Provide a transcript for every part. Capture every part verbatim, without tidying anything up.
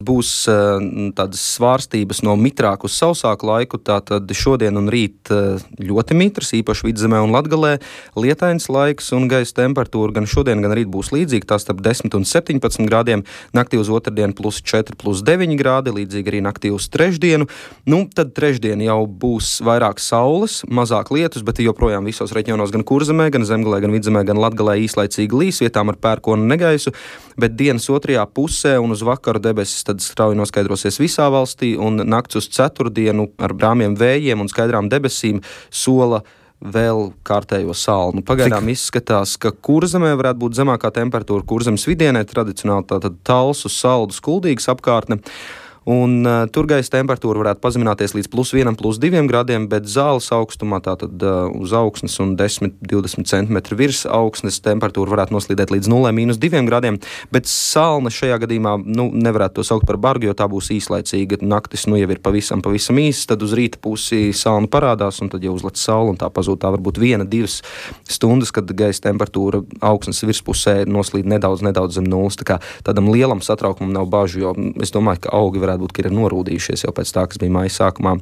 būs tādas svārstības no mitrāku uz sausāku laiku, tātad šodien un rīt ļoti mitrs, īpaši Vidzemē un Latgalē, lietains laiks un gaisa temperatūra gan šodien, gan rīt būs līdzīga, tā starp desmit un septiņpadsmit grādiem, naktī uz otrdienu plus četri, plus deviņi grādi, līdzīgi arī naktī uz trešdienu. Nu, tad trešdien jau būs vairāk saules, mazāk lietus, bet joprojām visos reģionos gan Kurzemē, gan Zemgalē, gan Vidzemē, gan Latgalē īslaicīgi līs, vietām ar pērkonu negaisu, bet dienas otrajā pusē un uz vakaru debesis tad strauji noskaidrosies visā valstī un nakts uz ceturtdienu ar brāmiem vējiem un skaidrām debesīm sola vēl kārtējo salnu. Pagaidām Cik? izskatās, ka Kurzemē varētu būt zemākā temperatūra, Kurzemes vidienē tradicionāli tātad Talsu, Saldus, Kuldīgas apkārtne. Un uh, tur gaisa temperatūra varētu pazemināties līdz plus vienam, plus diviem grādiem, bet Zāles augstumā, tātad uh, uz augsnes un desmit līdz divdesmit centimetri virs augsnes temperatūra varētu noslīdēt līdz nulē mīnus diviem grādiem, bet salna šajā gadījumā, nu, nevarētu to saukt par bargu, jo tā būs īslaicīga. Naktis, nu, jau ir pavisam, pavisam īsts, tad uz rīta pusi salna parādās, un tad jau uzlec saule, un tā pazūd tā varbūt viena, divas stundas, kad gaisa temperatūra augsnes virspusē noslīd nedaudz, nedaudz zem nulles. Tā kā tādam lielam satraukumam nav bažu, jo es domāju, ka augi varētu būt, ka ir norūdījušies jau pēc tā, kas bija maija sākumā.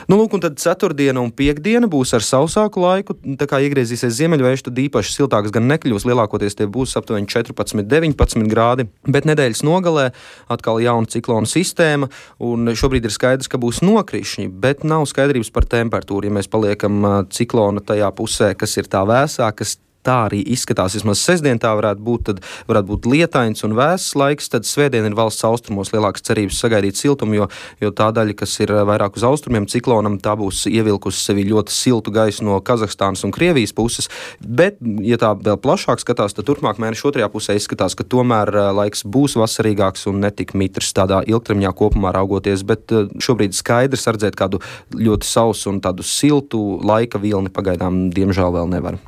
Nu, lūk, un tad ceturtdiena un piekdiena būs ar sausāku laiku, tā kā iegriezīsies ziemeļvējš, tad īpaši siltāks gan nekļūs, lielākoties tie būs aptuveni četrpadsmit, deviņpadsmit grādi, bet nedēļas nogalē atkal jauna ciklona sistēma, un šobrīd ir skaidrs, ka būs nokrišņi, bet nav skaidrības par temperatūru, ja mēs paliekam ciklona tajā pusē, kas ir tā vēsā, kas tā arī izskatās, vismaz sestdien tā varētu būt, tad varētu būt lietains un vēss laiks, tad svētdien ir valsts austrumos lielākas cerības sagaidīt siltumu, jo, jo tā daļa, kas ir vairāk uz austrumiem ciklonam, tā būs ievilkusi sevi ļoti siltu gaisu no Kazahstānas un Krievijas puses, bet, ja tā vēl plašāk skatās, tad turpmāk mēneša otrajā pusē izskatās, ka tomēr laiks būs vasarīgāks un netik mitrs tādā ilgtermiņā kopumā raugoties, bet šobrīd skaidrs redzēt kādu ļoti sausu un tādu siltu laika vilni pagaidām diemžēl vēl nevar.